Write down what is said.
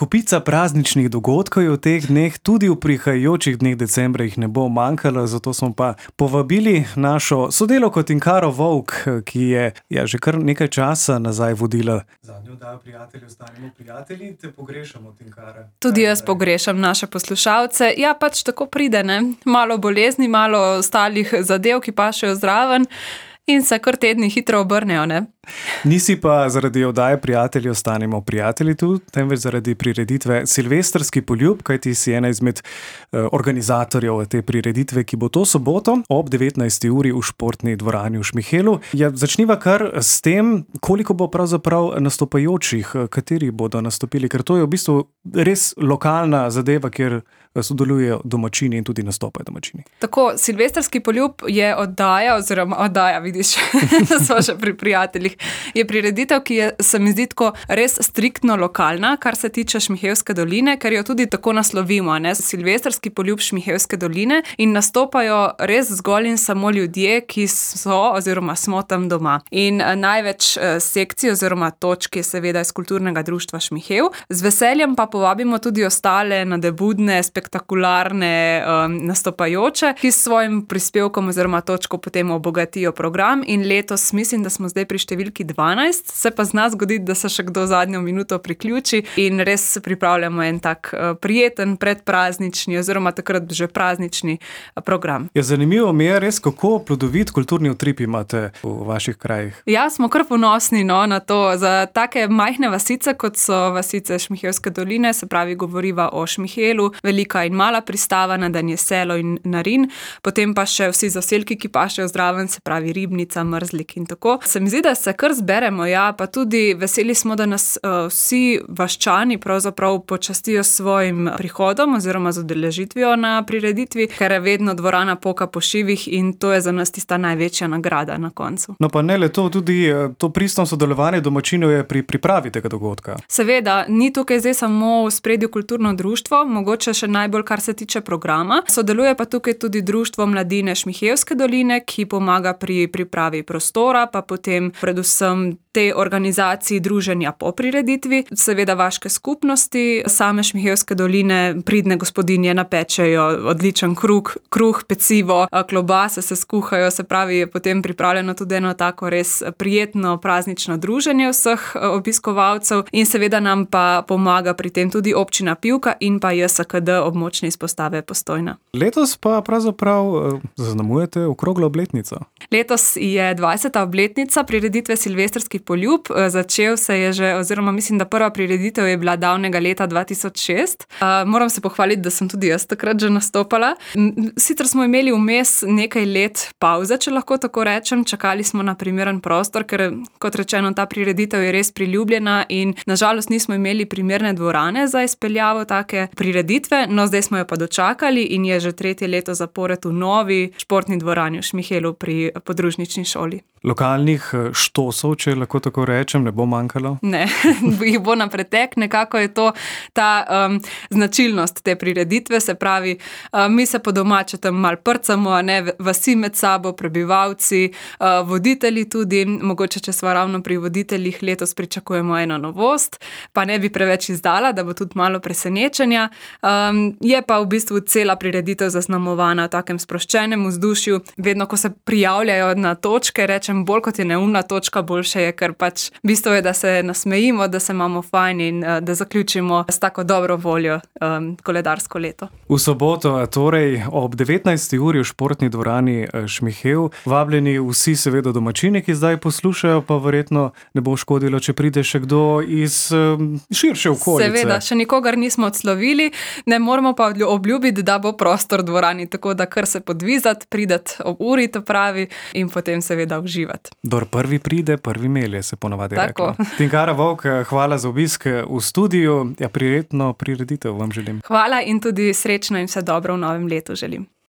Kopica prazničnih dogodkov je v teh dneh, tudi v prihajajočih dneh decembra jih ne bo manjkalo, zato smo pa povabili našo sodelavko Tinkaro Vovk, ki je že kar nekaj časa nazaj vodila zadnjo oddajo Prijatelji ostanimo prijatelji. Te pogrešamo, Tinkara. Tudi jaz pogrešam naše poslušalce. Ja, pač tako pride, ne? Malo bolezni, malo ostalih zadev, ki pašejo zraven in se kar tedni hitro obrnejo, ne? Nisi pa zaradi oddaje Prijatelji ostanimo prijatelji tu, temveč zaradi prireditve Silvestrski poljub, kajti si ena izmed organizatorjev te prireditve, ki bo to soboto ob 19. uri v športni dvorani v Šmihelu. Ja, začniva kar s tem, koliko bo pravzaprav nastopajočih, kateri bodo nastopili, ker to je v bistvu res lokalna zadeva, kjer sodelujejo domačini in tudi nastopajo domačini. Tako, Silvestrski poljub je oddaja, vidiš, smo še pri prijateljih. Je prireditev, ki je, se mi zdi, tako res striktno lokalna, kar se tiče Šmihelske doline, ker jo tudi tako naslovimo, ne? Silvestrski poljub Šmihelske doline in nastopajo res zgolj in samo ljudje, ki so oziroma smo tam doma. In največ sekcij oziroma točk je seveda iz Kulturnega društva Šmihel. Z veseljem pa povabimo tudi ostale nadebudne, spektakularne nastopajoče, ki s svojim prispevkom oziroma točko potem obogatijo program in letos mislim, da smo zdaj pri številki 12, se pa zna zgoditi, da se še kdo zadnjo minuto priključi in res pripravljamo en tak prijeten predpraznični oziroma takrat že praznični program. Ja, zanimivo mi je res, kako plodovit kulturni utrip imate v vaših krajih. Ja, smo kar ponosni na to. Za take majhne vasice, kot so vasice Šmihelske doline, se pravi govoriva o Šmihelu, Velika in Mala pristava, Nadanje selo in Narin, potem pa še vsi zaselki, ki pašejo zraven, se pravi Ribnica, Mrzlik in tako. Se mi zdi, da se kar zberemo, ja, pa tudi veseli smo, da nas vsi vaščani pravzaprav počastijo s svojim prihodom oziroma z udeležitvijo na prireditvi, ker je vedno dvorana poka po šivih in to je za nas tista največja nagrada na koncu. No pa ne le to, tudi to pristno sodelovanje domačinov je pri pripravi tega dogodka. Seveda, ni tukaj zdaj samo v spredju kulturno društvo, mogoče še najbolj, kar se tiče programa. Sodeluje pa tukaj tudi Društvo mladine Šmihelske doline, ki pomaga pri pripravi prostora, pa potem predvsem te organizaciji druženja po prireditvi, seveda vaške skupnosti, same Šmihelske doline, pridne gospodinje napečejo odličen kruh, pecivo, klobase se skuhajo, se pravi, je potem pripravljeno tudi eno tako res prijetno praznično druženje vseh obiskovalcev in seveda nam pa pomaga pri tem tudi občina Pivka in pa JSKD območne izpostave Postojna. Letos pa pravzaprav zaznamujete okroglo obletnico. Letos je 20. obletnica prireditve Silvestrski poljub. Začel se je že, oziroma mislim, da prva prireditev je bila davnega leta 2006. Moram se pohvaliti, da sem tudi jaz takrat že nastopala. Sicer smo imeli vmes nekaj let pavze, če lahko tako rečem. Čakali smo na primeren prostor, ker kot rečeno, ta prireditev je res priljubljena in nažalost nismo imeli primerne dvorane za izpeljavo take prireditve, no zdaj smo jo pa dočakali in je že 3. leto zapored v novi športni dvorani v Šmihelu pri podružnični šoli. Lokalnih štosov, če lahko tako rečem, ne bo manjkalo? Ne, jih bo na pretek, nekako je to ta značilnost te prireditve, se pravi, mi se po domače tam malo prcamo, ne, vasi med sabo, prebivalci, voditelji tudi, mogoče če smo ravno pri voditeljih, letos pričakujemo eno novost, pa ne bi preveč izdala, da bo tudi malo presenečenja, je pa v bistvu cela prireditev zaznamovana v takem sproščenem vzdušju, vedno ko se prijavljajo na točke, rečem, bolj kot je neumna točka, boljše je, ker pač bistvo je, da se nasmejimo, da se imamo fajn in da zaključimo s tako dobro voljo koledarsko leto. V soboto, torej ob 19. uri v športni dvorani Šmihel, vabljeni vsi seveda domačini, ki zdaj poslušajo, pa verjetno ne bo škodilo, če pride še kdo iz širše okolice. Seveda, še nikogar nismo odslovili, ne moramo pa obljubiti, da bo prostor v dvorani, tako da kar se podvizati, pridati ob uri, to pravi, in potem seveda uživati. Dor prvi pride, prvi melje, se ponavadi reklo. Tinkara Vovk, hvala za obisk v studiu. Ja, prijetno prireditev vam želim. Hvala in tudi srečno in vse dobro v novem letu želim.